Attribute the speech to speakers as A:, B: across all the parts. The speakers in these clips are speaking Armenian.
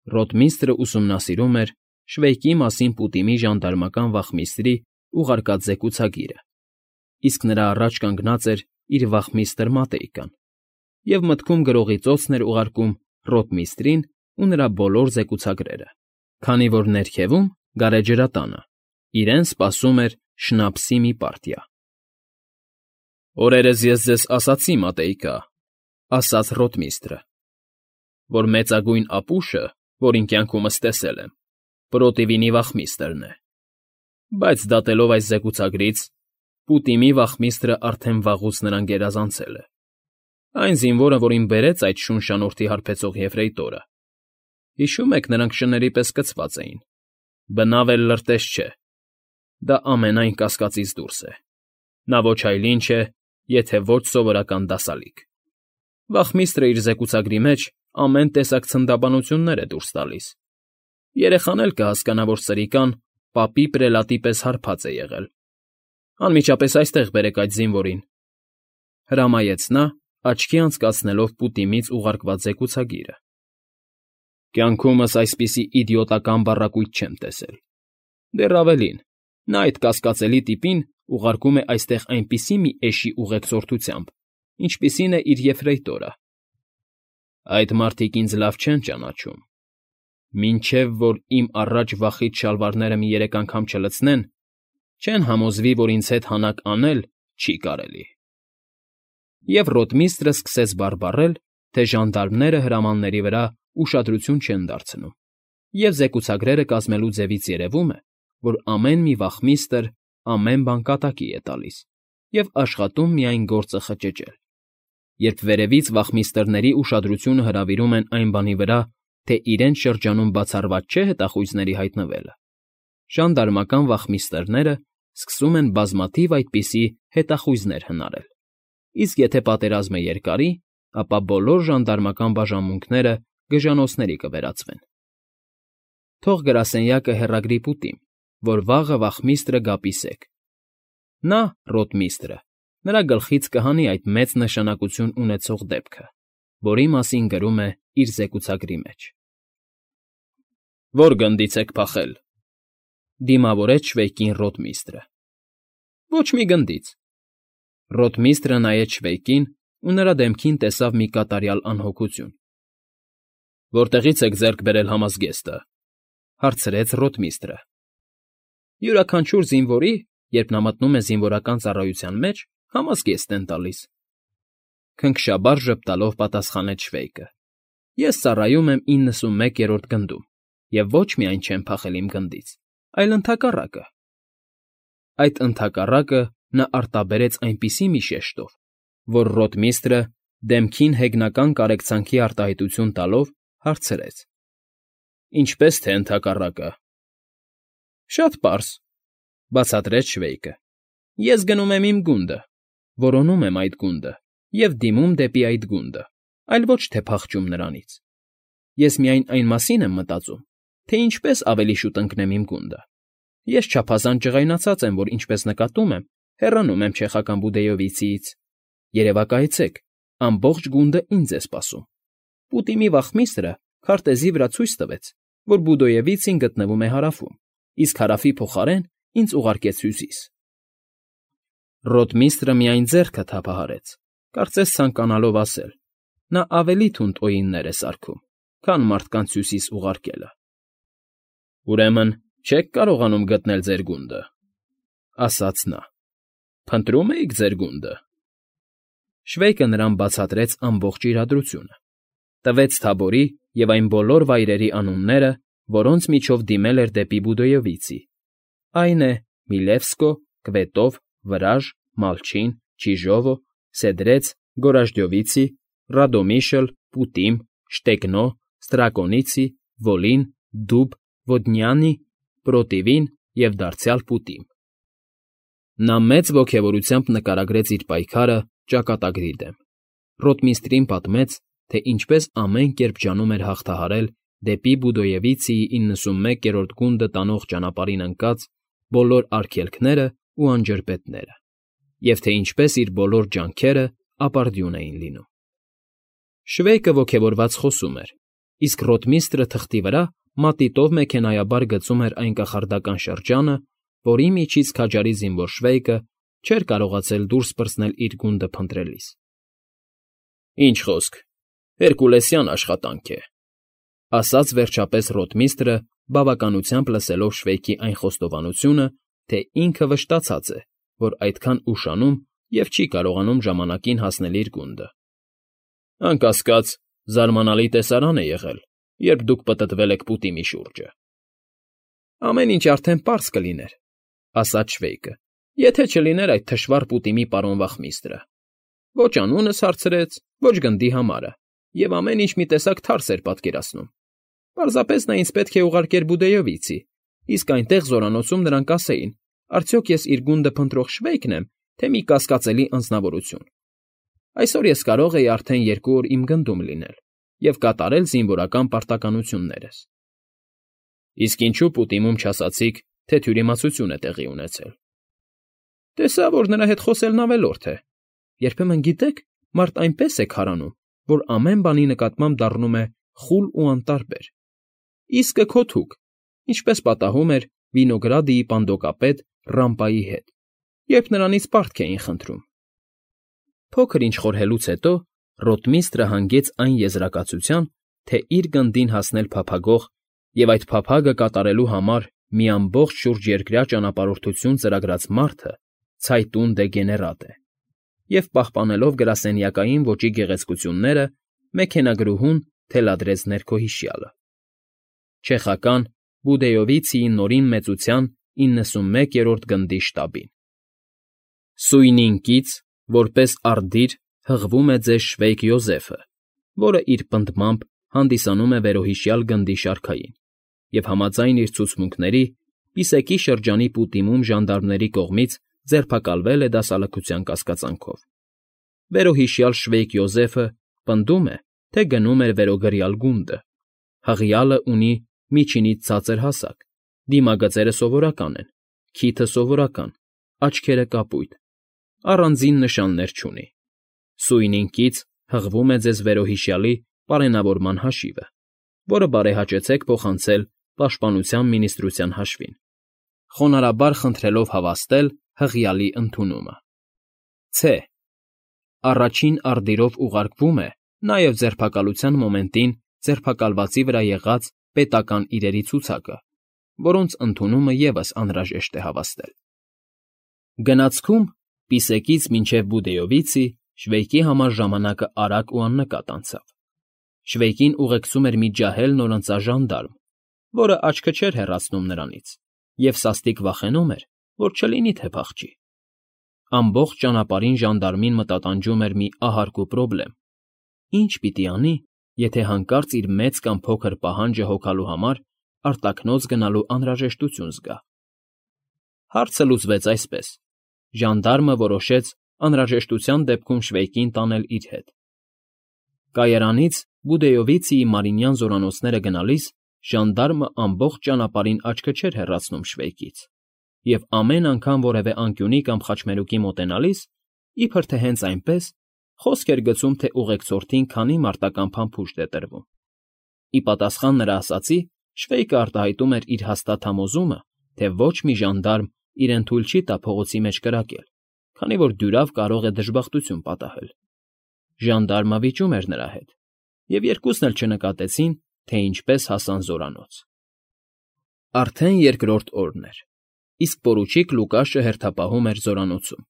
A: Ռոթմիստրը ուսումնասիրում էր Շվեյկի մասին Պուտիմի ժանդարմական վախմիստրի ուղարկած զեկուցագիրը, իսկ նրա առաջ կանգնած էր իր վախմիստր Մատեյկան և մտքում գրողի ծոցն էր ուղարկում ռոթմիստրին ու նրա բոլոր զեկուցագրերը, քանի որ ներքևում, գարեջրատանը, իրեն սպասում էր շնապսի մի պարտիա։ «Օրերս ես ձեզ ասացի, Մատեյկա,֊ ասաց ռոթմիստրը,֊ որ մեծագույն ապուշը, որին կյանքումս տեսել եմ, Պրոտիվինի վախմիստրն է, բայց դատելով այս զեկուցագրից, Պուտիմի վախմիստրը արդեն վաղուց նրան գերազանցել է։ Այն զինվորը, որին բերեց այդ շունշանոթի հարբեցող եֆրեյտորը, հիշում եք, նրանք շների պես կցված էին, բնավ էլ լրտես չէ, դա ամենայն կասկածից դուրս է, նա ոչ այլ ինչ է, եթե ոչ սովորական դասալիկ։ Վախմիստրը իր զեկուցագրի մեջ ամեն տեսակ ցնդաբանություններ է դուրս տալիս։ Երեխան էլ կհասկանա, որ սրիկան պապի պրելատի պես հարբած է եղել։ Անմիջապես այստեղ բերեք այդ զինվորին,֊ հրամայեց նա, աչքի անցկացնելով Պուտիմից ուղարկված զեկուցագիրը։ Կյանքումս այսպիսի իդիոտական բառակույտ չեմ տեսել։ Դեռ ավելին, նա այդ կասկածելի տիպին ուղարկում է այստեղ այնպիսի մի էշի ուղեկցորդությամբ, ինչպիսին է իր եֆրեյտորը։ Այդ մարդիկ ինձ լավ չեն ճանաչում։ Մինչև որ իմ առաջ վախից շալվարները մի երեք անգամ չլցնեն, չեն համոզվի, որ ինձ հետ հանակ անել չի կարելի։ Եվ ռոթմիստրը սկսեց բարբառել, թե ժանդարմները հրամանների վրա ուշադրություն չեն դարձնում, և զեկուցագրերը կազմելու ձևից երևում է, որ ամեն մի վախմիստր ամեն բան կատակի է տալիս և աշխատում միայն գործը խճճել, երբ վերևից վախմիստրների ուշադրությունը հրավիրում են այն բանի վրա, թե իրենց շրջանում բացառված չէ հետախույզների հայտնվելը, ժանդարմական վախմիստրները սկսում են բազմաթիվ այդպիսի հետախույզներ հնարել, իսկ եթե պատերազմը երկարի, ապա բոլոր ժանդարմական բաժանմունքները գժանոցների կվերածվեն։ Թող գրասենյակը հեռագրի Պուտիմ, որ վաղը վախմիստրը գա պիսեք։ Նա, ռոթմիստրը, նրա գլխից կհանի այդ մեծ նշանակություն ունեցող դեպքը, որի մասին գրում է իր զեկուցագրի մեջ։ Ո՞ր գնդից եք փախել,֊ դիմավորեց Շվեյկին ռոթմիստրը։ Ոչ մի գնդից։ Ռոթմիստրը նայեց Շվեյկին ու նրա դեմքին տեսավ մի կատարյալ անհոգություն։ Որտեղի՞ց եք ձեռք բերել համազգեստը,֊ հարցրեց ռոթմիստրը։ Յուրաքանչյուր զինվորի, երբ նա մտնում է զինվորական ծառայության մեջ, համազգեստ են տալիս,֊ քնքշաբար ժպտալով պատասխանեց Շվեյկը։ Ես ծառայում եմ 91-րդ գնդում և ոչ միայն չեմ փախել իմ գնդից, այլ ընդհակառակը։ Այդ ընդհակառակը նա արտաբերեց այնպիսի մի շեշտով, որ ռոթմիստրը, դեմքին հեգնական կարեկցանքի արտահայտություն տալով, հարցրեց. Ինչպե՞ս թե ընդհակառակը։ Շատ պարզ,֊ բացատրեց Շվեյկը։ Ես գնում եմ իմ գունդը, որոնում եմ այդ գունդը և դիմում դեպի այդ գունդը, այլ ոչ թե փախչում նրանից։ Ես միայն այն մասին եմ մտածում, թե ինչպես ավելի շուտ ընկնեմ իմ գունդը։ Ես չափազանց ջղայնացած եմ, որ ինչպես նկատում եմ, հեռանում եմ չեխական Բուդեյովիցիից։ Երևակայեցեք, ամբողջ գունդը ինձ է սպասում։ Պուտիմի վախմիստրը քարտեզի վրա ցույց տվեց, որ Բուդեյովիցին գտնվում է հարավում, իսկ հարավի փոխարեն ինձ ուղարկեց հյուսիս։ Ռոթմիստրը միայն ձեռքը թափահարեց, կարծես ցանկանալով ասել. նա ավելի թունդ օիններ է սարքում, քան մարդկանց հյուսիս ուղարկելը։ Ուրեմն չեք կարողանում գտնել ձեր գունդը,֊ ասաց նա։ Փնտրում էիք ձեր գունդը։ Շվեյկը նրան բացատրեց ամբողջ իրադրությունը, տվեց Թաբորի և այն բոլոր վայրերի անունները, որոնց միջով դիմել էր դեպի Բուդեյովիցի, այն է Միլևսկո, Կվետով, Վրաժ, Մալչին, Չիժովո, Սեդրեց, Գորաժդյովիցի, Ռադոմիշլ, Պուտիմ, Շտեկնո, Ստրակոնիցի, Վոլին, Դուբ, Ոդնյանի, Պրոտիվին և դարձյալ Պուտիմ։ Նա մեծ ոգևորությամբ նկարագրեց իր պայքարը ճակատագրի դեմ, ռոթմիստրին պատմեց, թե ինչպես ամեն կերպ ջանում էր հաղթահարել դեպի Բուդեյովիցիի 91-րդ գունդը տանող ճանապարհին ընկած բոլոր արգելքներն ու անջրպետները, և թե ինչպես իր բոլոր ջանքերը ապարդյուն էին լինում։ Շվեյկը ոգևորված խոսում էր, իսկ ռոտմիստրը թղթի վրա մատիտով մեքենայաբար գծում էր այն կախարդական շրջանը, որի միջից քաջարի զինվոր շվեյկը չէր կարողացել դուրս պրծնել իր գունդը փնտրելիս։ Ինչ խոսք, հերկուլեսյան աշխատանք է, ասաց վերջապես ռոտմիստրը, բավականությամբ լսելով շվեյկի այն խոստովանությունը, թե ինքը վշտացած է, որ այդքան ուշանում և չի կարողանում ժամանակին հասնել իր գունդը։ Անկասկած, զարմանալի տեսարան է եղել, երբ դուք պտտվել եք պուտիմի շուրջը։ Ամեն ինչ արդեն պարզ կլիներ, ասաց շվեյկը, եթե չլիներ այդ թշվառ պուտիմի պարոն վախմիստրը։ Ոչ անունս հարցրեց, ոչ գնդի համարը, և ամեն ինչ մի տեսակ թարս էր պատկերացնում։ Պարզապես նա ինձ պետք է ուղարկեր Բուդեյովիցի, իսկ այնտեղ զորանոցում նրանք ասեին, արդյոք ես իր գունդը փնտրող շվեյկն եմ, թե մի կասկածելի անձնավորություն։ Այսօր ես կարող էի արդեն 2 օր իմ գնդում լինել և կատարել զինվորական պարտականություններս։ Իսկ ինչու պուտիմում չասացիք, թե թյուրիմացություն է տեղի ունեցել։ Տեսա, որ նրա հետ խոսելն ավելորդ է։ Երբեմն գիտեք, մարդ այնպես է քարանում, որ ամեն բանի նկատմամբ դառնում է խուլ ու անտարբեր։ Իսկը քո թուկ, ինչպես պատահում էր Վինոգրադիի պանդոկապետ Ռամպայի հետ, երբ նրանից պարտք էին խնդրում։ Փոքր ինչ խորհելուց հետո ռոտմիստրը հանգեց այն եզրակացության, թե իր գնդին հասնել փափագող և այդ փափագը կատարելու համար մի ամբողջ շուրջերկրյա ճանապարհորդություն ծրագրած մարդը ցայտուն դեգեներատ է, և պահպանելով գրասենյակային ոճի գեղեցկությունները, մեքենագրուհուն թելադրեց ներքոհիշյալը։ Չեխական Բուդեյովիցիի նորին մեծության 91-րդ գնդի շտաբին։ Սույնին կից, որպես արդիր, հղվում է ձեզ Շվեյկ Յոզեֆը, որը իր պնդմամբ հանդիսանում է վերոհիշյալ գնդի շարքային, և համաձայն իր ցուցմունքների, Պիսեկի շրջանի պուտիմում ժանդարմների կողմից ձերբակալվել է դասալքության կասկածանքով։ Վերոհիշյալ Շվեյկ Յոզեֆը պնդում է, թե գնում էր վերոգրյալ գունդը։ Հղյալը ունի միջինից ցածր հասակ, դիմագծերը սովորական են, քիթը սովորական, աչքերը կապույտ, առանձին նշաններ չունի։ Սույնին կից հղվում է ձեզ վերոհիշյալի պարենավորման հաշիվը, որը բարեհաճեցեք փոխանցել Պաշտպանության մինիստրության հաշվին, խոնարհաբար խնդրելով հավաստել հղյալի ընդունումը։ Ց. Առաջին արդիրով ուղարկվում է նաև ձերբակալության մոմենտին ձերբակալվածի վրա եղած պետական իրերի ցուցակը, որոնց ընդունումը ևս անհրաժեշտ է հավաստել։ Գնացքում Պիսեկից մինչև Բուդեյովիցի Շվեյկի համար ժամանակը արագ ու աննկատ անցավ։ Շվեյկին ուղեկցում էր մի ջահել նորընծա ժանդարմ, որը աչքը չէր հեռացնում նրանից, և սաստիկ վախենում էր, որ չլինի թե փախչի։ Ամբողջ ճանապարհին ժանդարմին մտատանջում էր մի ահարկու պրոբլեմ. ինչ պիտի անի, եթե հանկարծ իր մեծ կամ փոքր պահանջը հոգալու համար արտաքնոց գնալու անհրաժեշտություն զգա։ Հարցը լուծվեց այսպես. ժանդարմը որոշեց անհրաժեշտության դեպքում Շվեյկին տանել իր հետ։ Կայարանից Բուդեյովիցիի մարինյան զորանոցները գնալիս ժանդարմը ամբողջ ճանապարհին աչքը չէր հեռացնում Շվեյկից, և ամեն անգամ որևէ անկյունի կամ խաչմերուկի մոտենալիս, իբր թե հենց այնպես, խոսք էր գցում, թե ուղեկցորդին քանի մարտական փամփուշտ է տրվում։ Ի պատասխան նրա ասացի, Շվեյկը արտահայտում էր իր հաստատ համոզումը, թե ոչ մի ժանդարմ իրեն թույլ չի տա փողոցի մեջ կրակել, քանի որ դյուրավ կարող է դժբախտություն պատահել։ Ժանդարմը վիճում էր նրա հետ, և երկուսն էլ չնկատեցին, թե ինչպես հասան զորանոց։ Արդեն երկրորդ օրն էր, իսկ պորուչիկ Լուկաշը հերթապահում էր զորանոցում։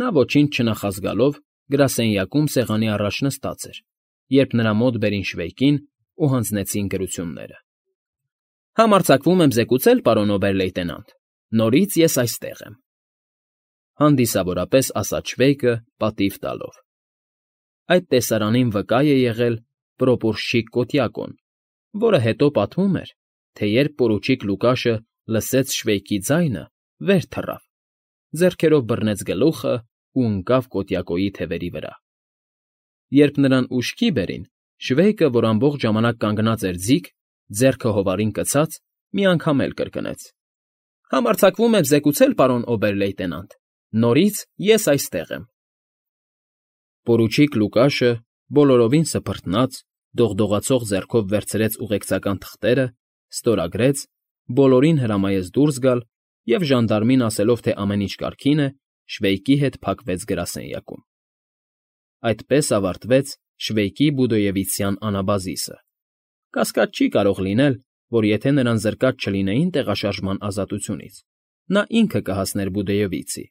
A: Նա ոչինչ չնախազգալով գրասենյակում սեղանի առաջ նստած էր, երբ նրա մոտ բերին Շվեյկին ու հանձնեցին գրությունները։ Համարձակվում եմ զեկուցել, պարոն օբեր֊լեյտենանտ, նորից ես այստեղ եմ, հանդիսավորապես ասաց Շվեյկը պատիվ տալով։ Այդ տեսարանին վկա է եղել պրոպորշչիկ Կոտյակոն, որը հետո պատմում էր, թե երբ պորուչիկ Լուկաշը լսեց Շվեյկի ձայնը, վեր թռավ, ձեռքերով բռնեց գլուխը ու ընկավ Կոտյակոյի թևերի վրա։ Երբ նրան ուշքի բերին, Շվեյկը, որ ամբողջ ժամանակ կանգնած էր ձիգ, ձեռքը հովարին կցած, մի անգամ էլ կրկնեց. Համարձակվում եմ զեկուցել, պարոն օբեր֊լեյտենանտ, նորից ես այստեղ եմ։ Պորուչիկ Լուկաշը, բոլորովին սփռտնաց, դողդողացող ձեռքով վերցրեց ուղեկցական թղթերը, ստորագրեց, բոլորին հրամայեց դուրս գալ և, ժանդարմին ասելով, թե ամեն ինչ կարգին է, Շվեյկի հետ փակվեց գրասենյակում։ Այդպես ավարտվեց Շվեյկի Բուդոևիցյան անաբազիսը։ Կասկած չի կարող լինել, որ եթե նրան զրկած չլինեին տեղաշարժման ազատությունից, նա ինքը կհասներ Բուդոևիցի։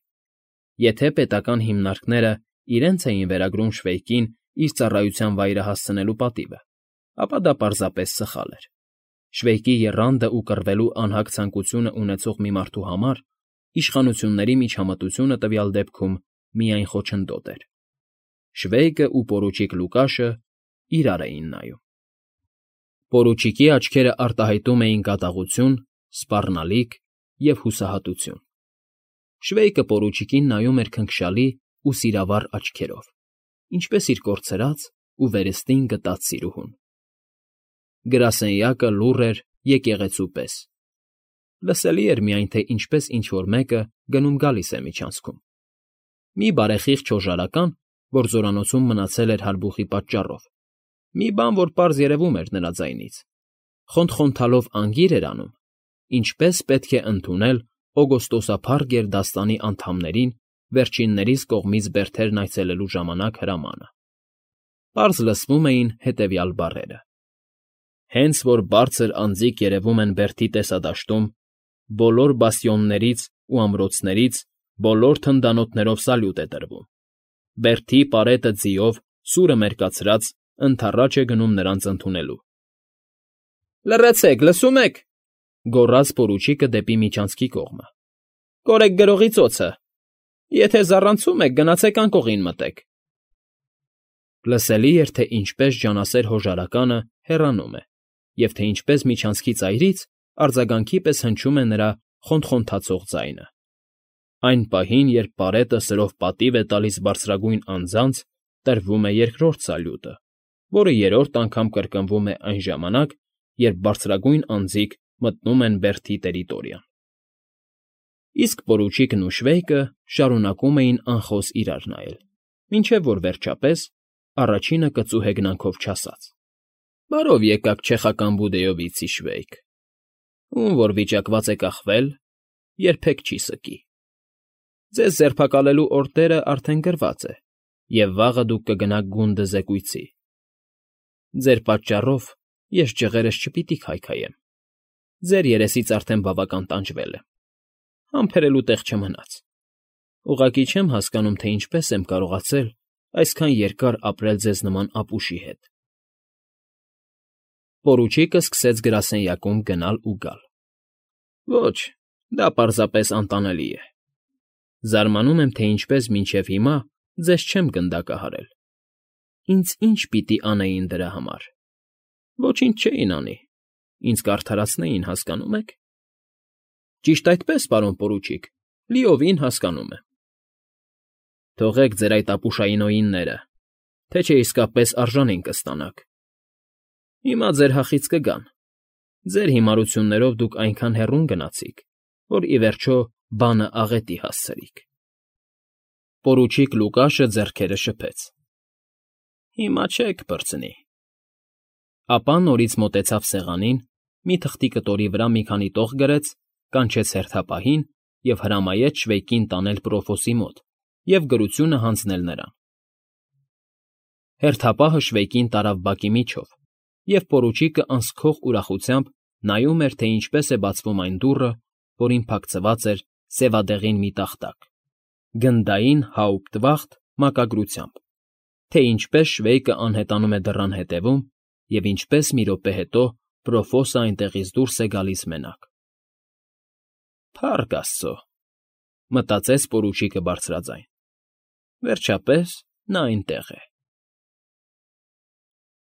A: Եթե պետական հիմնարկները իրենց էին վերագրում Շվեյկին իր ծառայության վայրը հասցնելու պատիվը, ապա դա պարզապես սխալ էր։ Շվեյկի եռանդը ու կռվելու անհագ ցանկությունը ունեցող մի մարդու համար իշխանությունների միջամտությունը տվյալ դեպքում միայն խոչընդոտ էր։ Շվեյկը ու պորուչիկ Լուկաշը իրար էին նայում։ Պորուչիկի աչքերը արտահայտում էին կատաղություն, սպառնալիք և հուսահատություն։ Շվեյկը պորուչիկին նայում էր քնքշալի ու սիրավառ աչքերով, ինչպես իր կորցրած ու վերստին գտած սիրուհուն։ Գրասենյակը լուռ էր եկեղեցու պես։ Լսելի էր միայն, թե ինչպես ինչ֊որ մեկը գնում֊գալիս է միջանցքում։ Մի բարեխիղճ հոժարական, որ զորանոցում մնացել էր հարբուխի պատճառով, մի բան, որ պարզ երևում էր նրա ձայնից, խոնթ֊խոնթալով անգիր էր անում, ինչպես պետք է ընդունել օգոստոսափառ գերդաստանի անդամներին վերջիններիս կողմից բերդերն այցելելու ժամանակ հրամանը։ Պարզ լսվում էին հետևյալ բառերը. «Հենց որ բարձր անձիկ երևում են բերդի տեսադաշտում, բոլոր բաստիոններից ու ամրոցներից բոլոր թնդանոթներով սալյուտ է տրվում։ Բերդի պարետը ձիով, սուրը մերկացրած, ընդառաջ է գնում նրանց ընդունելու»։ «Լռեցեք, լսում եք,֊ գոռաց պորուչիկը դեպի միջանցքի կողմը,֊ կորեք գրողի ծոցը, եթե զառանցում եք, գնացեք անկողին մտեք»։ Լսելի էր, թե ինչպես ջանասեր հոժարականը հեռանում է և թե ինչպես միջանցքի ծայրից արձագանքի պես հնչում է նրա խոնթ֊խոնթացող ձայնը։ Այն պահին, երբ պարետը սրով պատիվ է տալիս բարձրագույն անձանց, տրվում է երկրորդ սալյուտը, որը երրորդ անգամ կրկնվում է այն ժամանակ, երբ բարձրագույն անձիկ մտնում են բերդի տերիտորիան։ Իսկ պորուչիկն ու Շվեյկը շարունակում էին անխոս իրար նայել, մինչև որ վերջապես առաջինը կծու հեգնանքով չասաց. «Բարով եկաք չեխական Բուդեովիցի, Շվեյկ, ում որ վիճակված է կախվել, երբեք չի սկի։ Ձեզ ձերբակալելու օրդերը արդեն գրված է, և վաղը դուք կգնաք գունդը զեկույցի։ Ձեր պատճառով ես ջղերս չպիտի քայքայեմ, ձեր երեսից արդեն բավական տանջվել եմ, համբերելու տեղ չմնաց։ Ուղղակի չեմ հասկանում, թե ինչպես եմ կարողացել այսքան երկար ապրել ձեզ նման ապուշի հետ»։ Պորուչիկը սկսեց գրասենյակում գնալ ու գալ։ «Ոչ, դա պարզապես անտանելի է։ Զարմանում եմ, թե ինչպես մինչև հիմա ձեզ չեմ գնդակահարել։ Ինձ ինչ պիտի անեին դրա համար։ Ոչինչ չէին անի, ինձ կարդարացնեին, հասկանո՞ւմ եք։ Ճիշտ այդպես, պարոն պորուչիկ, լիովին հասկանում եմ։ Թողեք ձեր այդ ապուշայինոյինները, թե չէ իսկապես արժանին կստանաք։ Հիմա ձեր հախից կգան։ Ձեր հիմարություններով դուք այնքան հեռուն գնացիք, որ ի վերջո բանը աղետի հասցրիք»։ Պորուչիկ Լուկաշը ձեռքերը շփեց։ «Հիմա չեք պրծնի»։ Ապա նորից մոտեցավ սեղանին, մի թղթի կտորի վրա մի քանի տող գրեց, կանչեց հերթապահին և հրամայեց Շվեյկին տանել Պրոֆոսի մոտ և գրությունը հանձնել նրան։ Հերթապահը Շվեյկին տարավ բակի միջով, և պորուչիկը անսքող ուրախությամբ նայում էր, թե ինչպես է բացվում այն դուռը, որին փակցված էր սևադեղին մի տախտակ, գնդային հաուպտվախտ մակագրությամբ, թե ինչպես Շվեյկը անհետանում է դռան հետևում և ինչպես մի րոպե հետո Պրոֆոսը այնտեղից դուրս է գալիս մենակ։ «Փառք աստծո», մտածեց պորուչիկը բարձրաձայն, «վերջապես նա այնտեղ է»։